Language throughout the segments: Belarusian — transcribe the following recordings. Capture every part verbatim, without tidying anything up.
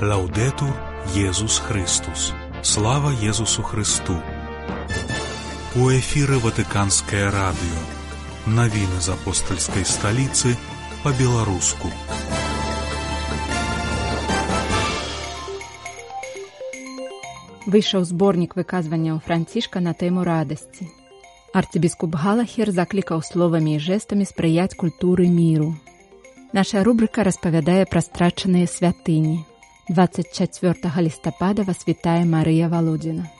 Лаўдетур Єсус Христус. Слава Єсусу Христу. У эфіры Ватыканскае радыё. Навіны з апостальскай сталіцы па-беларуску. Выйшаў зборнік выказванняў Францішка на тэму радасці. Арцыбіскуп Галахер заклікаў словамі і жэстамі спрыяць культуры міру. Наша рубрыка распавядае пра страчаныя святыні. дваццаць чацвёртага лістапада вас вітае Марыя Валодзіна.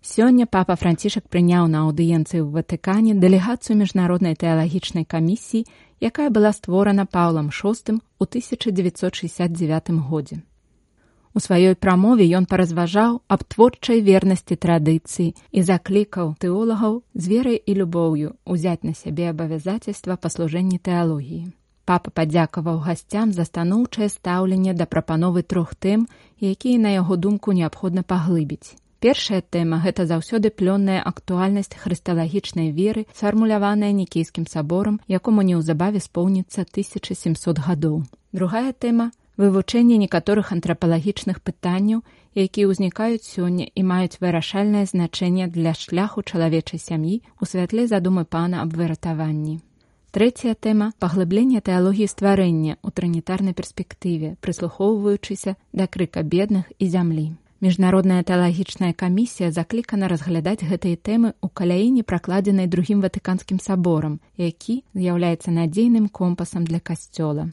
Сёння папа Францішак прыняў на аўдыенцыі ў Ватыкане дэлегацыю міжнароднай тэалагічнай камісіі, якая была створана Паўлам шостым у тысяча дзевяцьсот шэсцьдзясят дзевятым годзе. У сваёй прамове ён паразважаў аб творчай вернасці традыцыі і заклікаў тэолагаў з верай і любоўю узяць на сябе абавязацельства па служэнні тэалогіі. Папа падзякаваў гасцям за станоўчае стаўленне да прапановы трох тэм, якія, на яго думку, неабходна паглыбіць. Першая тэма – гэта заўсёды плённая актуальнасць хрысталагічнай веры, сфармуляваная Нікейскім саборам, якому неўзабаве споўніцца тысяча сямсот гадоў. Другая тэма – вывучэнне некаторых антрапалагічных пытанняў, якія ўзнікаюць сёння і маюць вырашальнае значэнне для шляху чалавечай сям'і у святле задумы пана аб выратаванні. Трэцяя тэма – паглыбленне тэалогіі стварэння ў трынітарнай перспектыве, прыслухоўваючыся да крыка бедных і зямлі. Міжнародная тэалагічная камісія заклікана разглядаць гэтыя тэмы ў каляіне, пракладзенай другім Ватыканскім саборам, які з'яўляецца надзейным компасам для касцёла.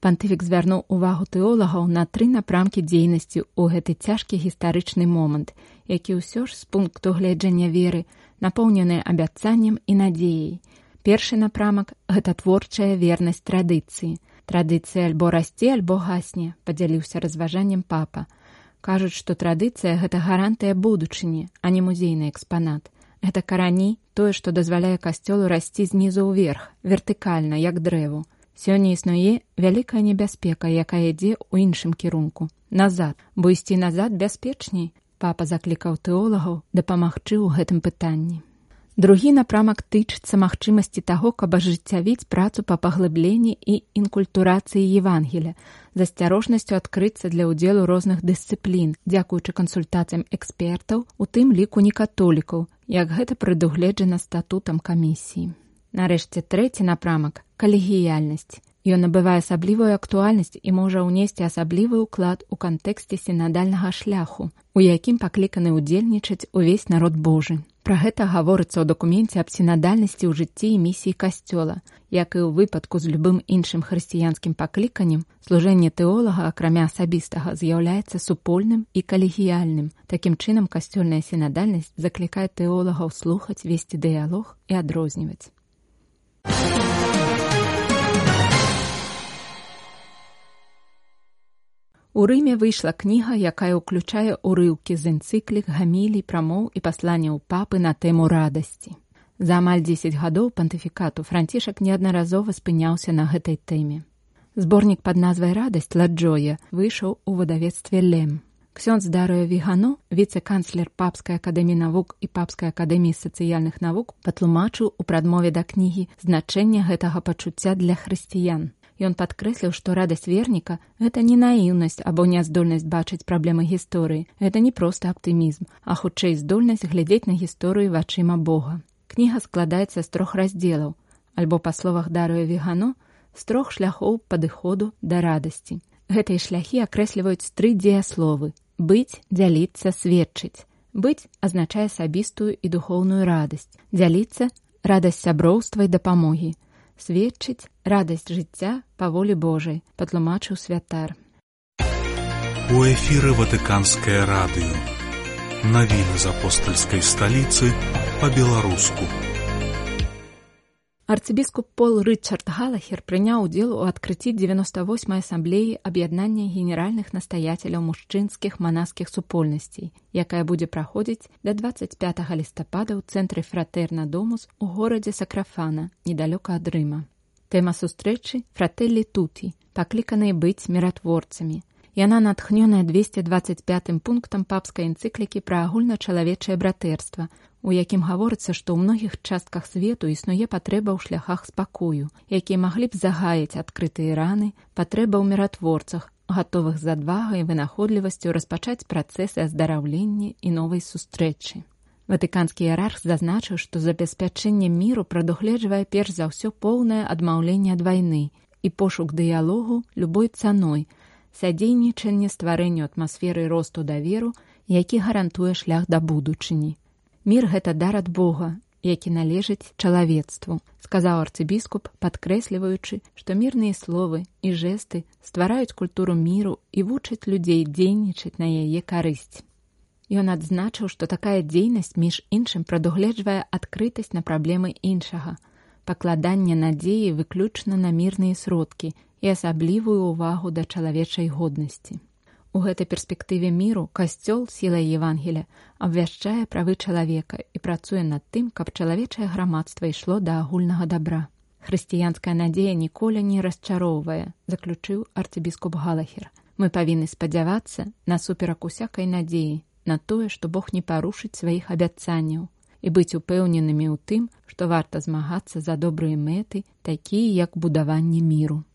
Пантыфік звярнуў увагу тэолагаў на тры напрамкі дзейнасці ў гэты цяжкі гістарычны момант, які ўсё ж з пункту гледжання веры напоўнены абяцаннем і надзеяй. Першы напрамак – гэта творчая вернасць традыцыі. Традыцыя альбо расце, альбо гасне, падзяліўся разважаннем папа. Кажуць, што традыцыя – гэта гарантыя будучыні, а не музейны экспанат. Гэта карані, тое, што дазваляе касцёлу расці знізу ўверх, вертыкальна, як дрэву. Сёння існуе вялікая небяспека, якая ідзе ў іншым кірунку. Назад, бо ісці назад бяспечней. Папа заклікаў тэолагаў дапамагчы ў гэтым пытанні. Другі напрамак тычыцца магчымасці таго, каб ажыццявіць працу па паглыбленні і інкультурацыі Евангеля, з асцярожнасцю адкрыцца для ўдзелу розных дысцыплін, дзякуючы кансультацыям экспертаў, у тым ліку некатолікаў, як гэта прадугледжана статутам камісіі. Нарэшце, трэці напрамак – калегіяльнасць. Ён набывае асаблівую актуальнасць і можа ўнесці асаблівы ўклад у кантэксце сінадальнага шляху, у якім пакліканы ўдзельнічаць увесь народ Божы. Пра гэта гаворыцца ў дакуменце аб сінадальнасці ў жыцці і місіі касцёла. Як і ў выпадку з любым іншым хрысціянскім пакліканнем, служэнне тэолага, акрамя асабістага, з'яўляецца супольным і калегіяльным. Такім чынам, касцёльная сінадальнасць заклікае тэолагаў слухаць, весці дыялог і адрозніваць. У Рыме выйшла кніга, якая ўключае урыўкі з энцыклік, гамілій, прамоў і пасланняў папы на тэму радасці. За амаль дзесяць гадоў пантыфікату Францішак неаднаразова спыняўся на гэтай тэме. Зборнік пад назвай «Радасць» «Ла Джоя» выйшаў у выдавецтве «Лем». Ксёндз Дарыё Вігано, віцэ-канцлер Папскай акадэміі навук і Папскай акадэміі сацыяльных навук, патлумачыў у прадмове да кнігі значэнне гэтага пачуцця для хрысціян. Ён падкрэсліў, што радасць верніка – гэта не наіўнасць або няздольнасць бачыць праблемы гісторыі. Гэта не проста аптымізм, а хутчэй здольнасць глядзець на гісторыю вачыма Бога. Кніга складаецца з трох раздзелаў, альбо, па словах Дарыё Вігано, з трох шляхоў падыходу да радасці. Гэтыя шляхі акрэсліваюць тры дзеясловы – быць, дзяліцца, сведчыць. Быць азначае асабістую і духоўную радасць. Дзяліцца – радасць сяброўства і дапамогі. Сведчыць – радасць жыцця па волі Божай, патлумачыў святар. У эфіры Ватыканскае радыё. Навіны з апостальскай сталіцы па-беларуску. Арцыбіскуп Пол Рычард Галахер прыняў удзел у адкрыцці дзевяноста восьмай асамблеі аб'яднання генеральных настаяцеляў мужчынскіх манаскіх супольнасцей, якая будзе праходзіць да дваццаць пятага лістапада ў цэнтры Фратэрна Домус у горадзе Сакрафана, недалёка ад Рыма. Тэма сустрэчы – «Фрателлі туті», пакліканыя быць міратворцамі. Яна натхнёная двесце дваццаць пятым пунктам папскай энцыклікі пра агульначалавечае братэрства, у якім гаворыцца, што ў многіх частках свету існуе патрэба ў шляхах спакою, якія маглі б загаяць адкрытыя раны, патрэба ў міратворцах, гатовых з адвагай і вынаходлівасцю распачаць працэсы аздараўлення і новай сустрэчы. Ватыканскі іерарх зазначыў, што забеспячэнне міру прадугледжвае перш за ўсё поўнае адмаўленне ад вайны і пошук дыялогу любой цаной, садзейнічанне стварэнню атмасферы росту даверу, які гарантуе шлях да будучыні. Мір – гэта дар ад Бога, які належыць чалавецтву, сказаў арцыбіскуп, падкрэсліваючы, што мірныя словы і жэсты ствараюць культуру міру і вучаць людзей дзейнічаць на яе карысць. Ён адзначыў, што такая дзейнасць, між іншым, прадугледжвае адкрытасць на праблемы іншага, пакладанне надзеі выключна на мірныя сродкі і асаблівую ўвагу да чалавечай годнасці. У гэтай перспектыве міру Касцёл сілай Евангелія абвяшчае правы чалавека і працуе над тым, каб чалавечае грамадства ішло да агульнага дабра. Хрысціянская надзея ніколі не расчароўвае, заключыў арцыбіскуп Галахер. Мы павінны спадзявацца насуперак усякай надзеі на тое, што Бог не парушыць сваіх абяцанняў, і быць упэўненымі ў тым, што варта змагацца за добрыя мэты, такія як будаванне міру.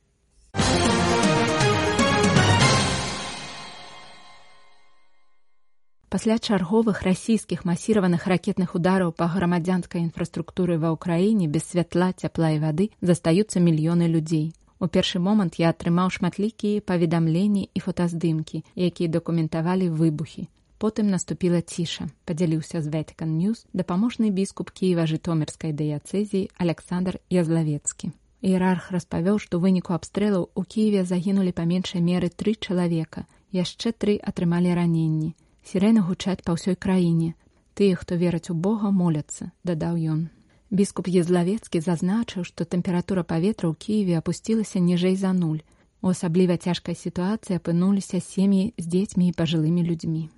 Пасля чарговых расійскіх масіраваных ракетных удараў па грамадзянскай інфраструктуры ва ўкраіне без святла, цяпла і вады застаюцца мільёны людзей. У першы момант я атрымаў шматлікія паведамленні і фотаздымкі, якія дакументавалі выбухі. Потым наступіла ціша, падзяліўся з Vatican News дапаможны біскуп Кіева-Жытомірскай дыяцэзіі Александр Язлавецкі. Іерарх распавёў, што ў выніку абстрэлаў у Кіеве загінулі па меншай меры тры чалавека, яшчэ тры атрымалі раненні. Сірэны гучаць па ўсёй краіне. Тыя, хто вераць у Бога, моляцца, дадаў ён. Біскуп Язлавецкі зазначыў, што тэмпература паветра ў Кіеве апусцілася ніжэй за нуль. У асабліва цяжкай сітуацыі апынуліся сем'і з дзецьмі і пажылымі людзьмі.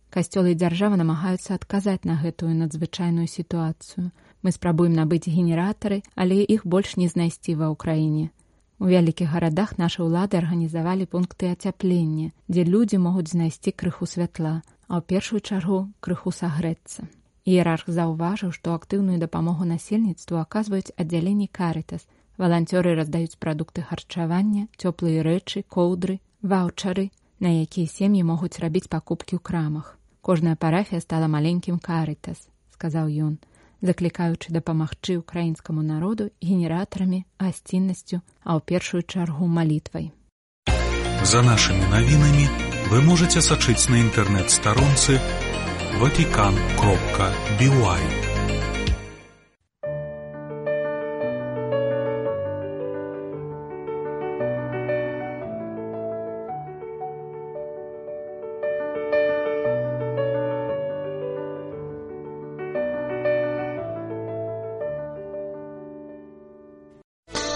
Касцёлы і дзяржава намагаюцца адказаць на гэтую надзвычайную сітуацыю. Мы спрабуем набыць генератары, але іх больш не знайсці ва ўкраіне. У вялікіх гарадах нашы ўлады арганізавалі пункты ацяплення, дзе людзі могуць знайсці крыху святла, а ў першую чаргу крыху сагрэцца. Іерарх заўважыў, што актыўную дапамогу насельніцтву аказваюць аддзяленні Карытас. Валанцёры раздаюць прадукты харчавання, цёплыя рэчы, коўдры, ваўчары, на якія сем'і могуць рабіць пакупкі ў крамах. Кожная парафія стала маленькім Карытас, сказаў ён, заклікаючы дапамагчы ўкраінскаму народу генератарамі, гасціннасцю, а ў першую чаргу малітвай. За нашымі навінамі вы можаце сачыць на інтэрнэт-старонцы ватикан кропка би уай.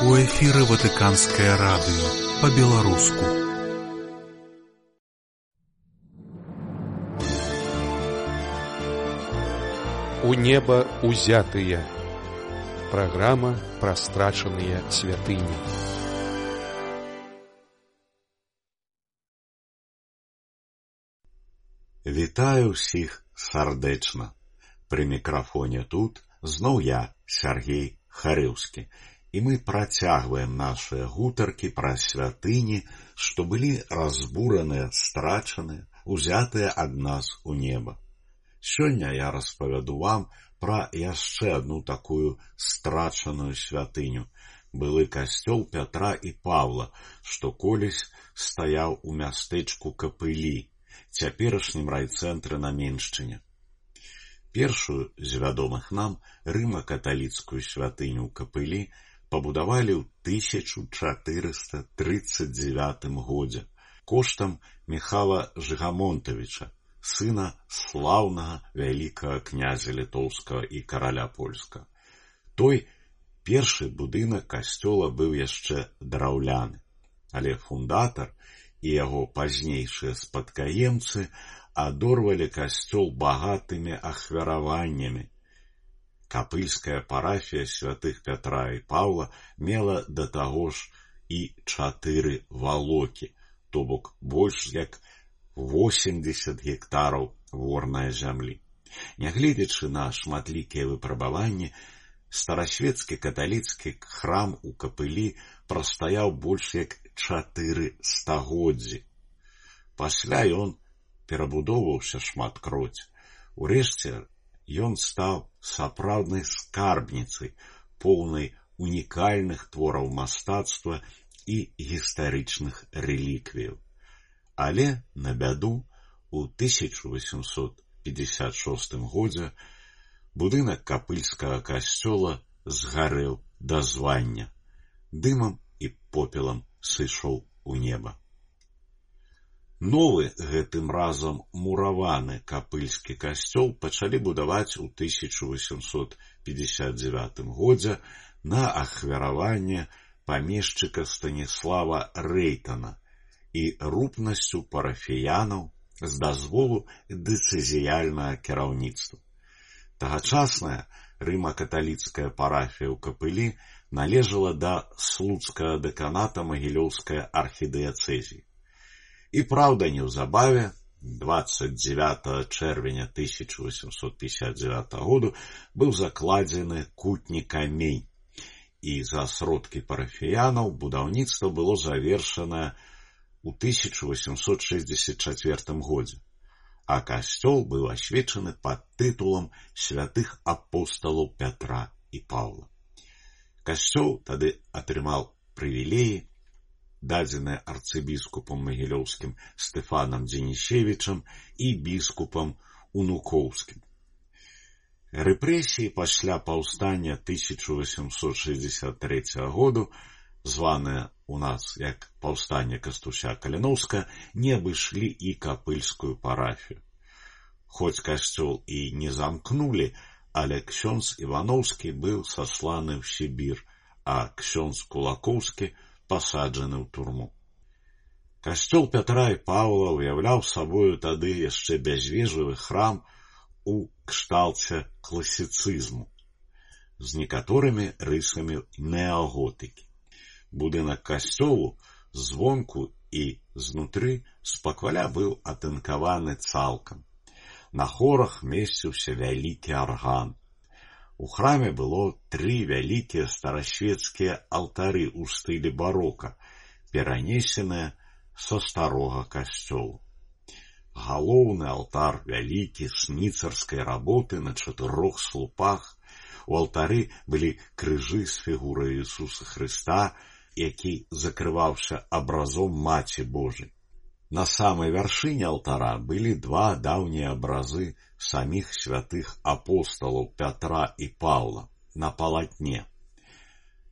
У эфіры Ватыканскае радыё па-беларуску. У неба узятыя. Праграма пра страчаныя святыні. Вітаю ўсіх сардэчна. Пры мікрафоне тут зноў я, Сергей Харыўскі, і мы працягваем нашыя гутаркі пра святыні, што былі разбураныя, страчаныя, узятыя ад нас у неба. Сёння я распавяду вам пра яшчэ адну такую страчаную святыню, былы касцёл Пятра і Павла, што колісь стаяў у мястэчку Капылі, цяперашнім райцэнтры на Меншчыне. Першую з вядомых нам рыма-каталіцкую святыню ў Капылі пабудавалі ў тысяча чатырыста трыццаць дзевятым годзе коштам Міхала Жыгамонтавіча, сына слаўнага вялікага князя літоўскага і караля польскага. Той першы будынак касцёла быў яшчэ драўляны, але фундатар і яго пазнейшыя спадкаемцы адорвалі касцёл багатымі ахвяраваннямі. Капыльская парафія святых Пятра і Паўла мела да таго ж і чатыры валокі, то бок больш як восемьдесят гектараў ворнай зямлі. Нягледзячы на шматлікія выпрабаванні, старасвецкі каталіцкі храм у Капылі прастаяў больш як чатыры стагоддзі. Пасля ён перабудоўваўся шматкроць. Урэшце ён стаў сапраўднай скарбніцай, поўнай унікальных твораў мастацтва і гістарычных рэліквіяў. Але, на бяду, у тысяча восемьсот пятьдесят шостым годзе будынак капыльскага касцёла згарэў да звання. Дымам і попелам сышоў у неба. Новы, гэтым разам мураваны капыльскі касцёл пачалі будаваць у тысяча восемьсот пятьдесят девятым годзе на ахвяраванне памешчыка Станіслава Рэйтана і рупнасцю парафіянаў з дазволу дэцызіяльнага кіраўніцтва. Тагачасная рыма-каталіцкая парафія ў Капылі належала да слуцкага дэканата Магілёўскай архідыяцэзіі. І праўда, неўзабаве, двадцать девятого чэрвеня тысяча восемьсот пятьдесят девятого году быў закладзены кутні камень, і за сродкі парафіянаў будаўніцтва было завершанае у тысяча восемьсот шэсцьдзесят чацвёртым годзе, а касцёл быў асвечаны пад тытулам святых апосталаў Пятра і Паўла. Касцёл тады атрымаў прывілеі, дадзеныя арцыбіскупам магілёўскім Стэфанам Дзенішевічам і біскупам Унукоўскім. Рэпрэсіі пасля паўстання тысяча восемьсот шэсцьдесят трэцяга году, званыя у нас як паўстанне Кастуся Каліноўска, не абышлі і капыльскую парафію. Хоць касцёл і не замкнулі, але ксёндз Івановскі быў сасланы ў Сібір, а ксёндз Кулакоўскі пасаджаны ў турму. Касцёл Пятра і Паўла уяўляў сабою тады яшчэ бязвежавы храм у кшталце класіцызму з некаторымі рысамі неаготыкі. Будынак касцёлу звонку і знутры спакваля быў атынкаваны цалкам. На хорах месціўся вялікі арган. У храме было тры вялікія старасвецкія алтары ў стылі барока, перанесеныя са старога касцёлу. Галоўны алтар вялікі сніцарскай работы на чатырох слупах. У алтары былі крыжы з фігурай Ісуса Хрыста, які закрываўся абразом Маці Божай. На самай вяршыні алтара былі два даўнія абразы саміх святых апосталаў Пятра і Паўла на палатне.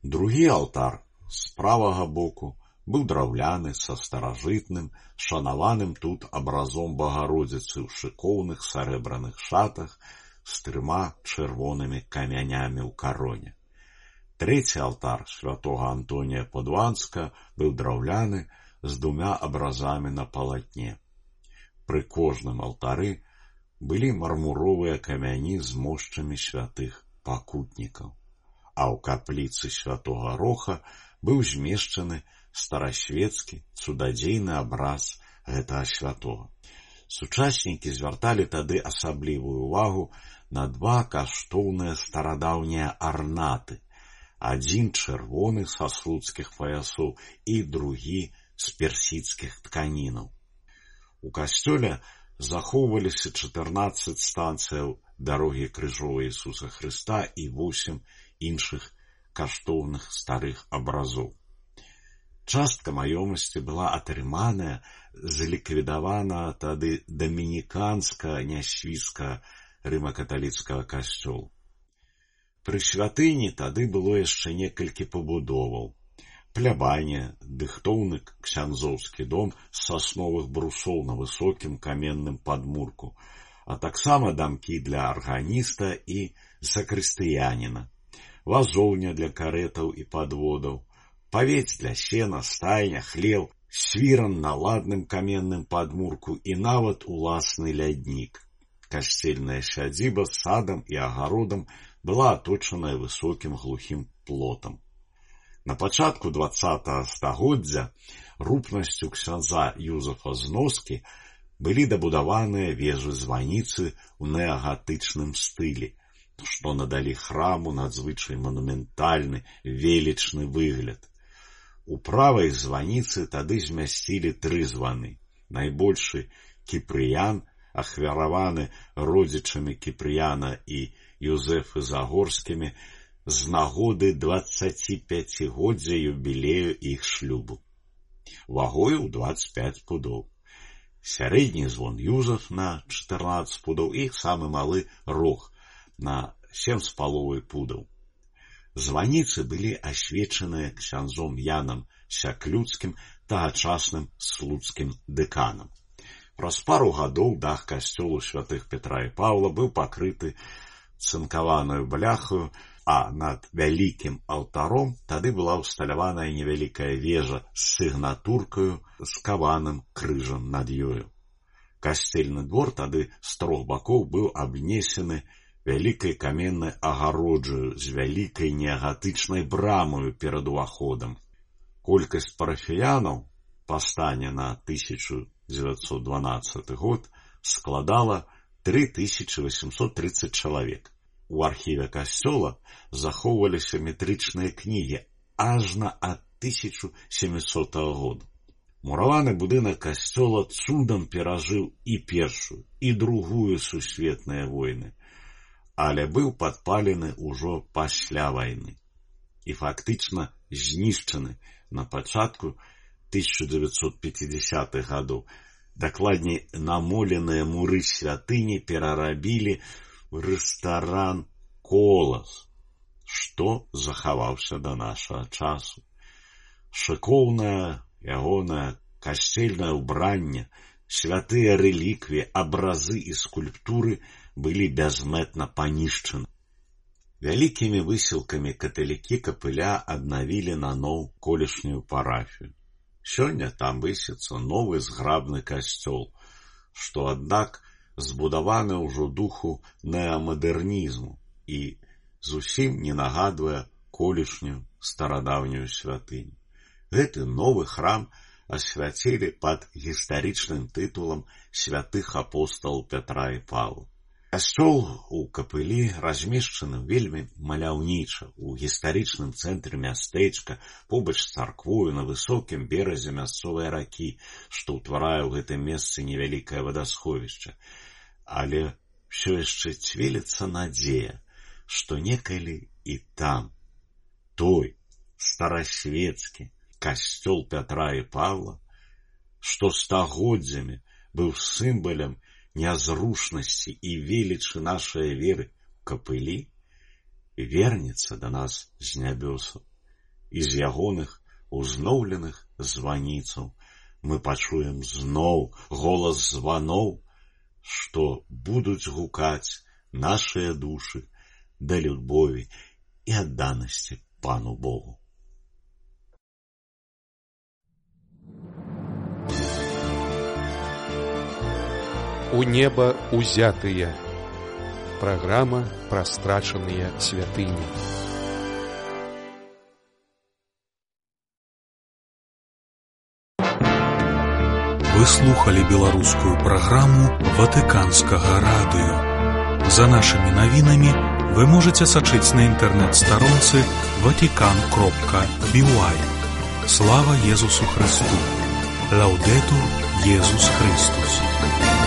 Другі алтар з правага боку быў драўляны са старажытным, шанаваным тут абразом Багародзіцы ў шыкоўных сарэбраных шатах з трыма чырвонымі камянямі ў кароне. Трэці алтар святога Антонія Падуанска быў драўляны з двумя абразамі на палатне. Пры кожным алтары былі мармуровыя камяні з мошчамі святых пакутнікаў, а ў капліцы святога Роха быў змешчаны старасвецкі цудадзейны абраз гэтага святога. Сучаснікі звярталі тады асаблівую ўвагу на два каштоўныя старадаўнія арнаты, адзін чырвоны са слуцкіх паясоў і другі з персідскіх тканінаў. У касцёле захоўваліся чатырнаццаць станцыяў дарогі крыжовай Ісуса Хрыста і восем іншых каштоўных старых абразоў. Частка маёмасці была атрыманая з ліквідавана тады дамініканска-нясвіцкага рыма-каталіцкага касцёла. Пры святыні тады было яшчэ некалькі пабудоваў. Плябанія, дыхтоўны ксяндзоўскі дом з сасновых брусоў на высокім каменным падмурку, а таксама дамкі для арганіста і сакрыстыяніна, вазоўня для карэтаў і падводаў, павець для сена, стайня, хлеў, свіран на ладным каменным падмурку і нават уласны ляднік. Касцельная сядзіба з садам і агародам была аточаная высокім глухім плотам. На пачатку дваццатага стагоддзя рупнасцю ксяндза Юзафа Зноскі былі дабудаваныя вежы-званіцы ў неагатычным стылі, што надалі храму надзвычай манументальны, велічны выгляд. У правай званіцы тады змясцілі тры званы. Найбольшы Кіпрыян, ахвяраваны родзічамі Кіпрыяна і Юзэфы Загорскімі з нагоды дваццаціпяцігоддзя юбілею іх шлюбу. Вагою ў дваццаць пяць пудоў. Сярэдні звон Юзаф на чатырнаццаць пудоў і самы малы рог на сем з паловай пудаў. Званіцы былі асвечаныя ксяндзом Янам Сяклюцкім, тагачасным слуцкім дэканам. Праз пару гадоў дах касцёлу святых Петра і Паўла быў пакрыты цынкаваною бляхаю, а над вялікім алтаром тады была ўсталяваная невялікая вежа з сігнатуркаю з каваным крыжам над ёю. Касцельны двор тады з трох бакоў быў абнесены вялікай каменнай агароджаю з вялікай неагатычнай брамаю перад уваходам. Колькасць парафіянаў па стане на тысяча дзевяцьсот дванаццаты год складала тры тысячы восемьсот тридцать чалавек. У архіве касцёла захоўваліся метрычныя кнігі ажна ад тысяча сямісотага года. Мураваны будынак касцёла цудам перажыў і першую, і другую сусветныя войны, але быў падпалены ўжо пасля вайны і фактычна знішчаны на пачатку тысяча дзевяцьсот пяцідзясятых гадоў. Дакладней, намоленыя муры святыні перарабілі рэстаран «Колас», што захаваўся да нашага часу. Шыкоўнае ягонае касцельнае ўбранне, святыя рэліквіі, абразы і скульптуры былі бязмэтна панішчаны. Вялікімі высілкамі каталікі капыля аднавілі наноў колішнюю парафію. Сёння там высіцца новы зграбны касцёл, што, аднак, збудаваны ўжо духу неамадэрнізму і зусім не нагадвае колішнюю старадаўнюю святыню. Гэты новы храм асвяцілі пад гістарычным тытулам святых апосталаў Пятра і Паўла. Касцёл у капылі размешчаны вельмі маляўніча у гістарычным цэнтры мястэчка, побач з царквою на высокім беразе мясцовай ракі, што ўтварае ў гэтым месцы невялікае вадасховішча. Але ўсё яшчэ цвіліцца надзея, што некалі і там той старасвецкі касцёл Пятра і Паўла, што стагоддзямі быў сімвалам нязрушнасці і велічы нашай веры ў капылі, вернецца да нас з нябёсаў, і з ягоных узноўленых званіцаў мы пачуем зноў голас званоў, што будуць гукаць нашыя душы да любові і адданасці Пану Богу. У неба узятыя. Праграма пра страчаныя святыні. Вы слухали беларускую праграму Ватыканскага радыё. За нашымі навінамі вы можаце сачыць на інтэрнэт-старонцы ватикан кропка би уай. Слава Езусу Христу! Лаудетур Езус Христус!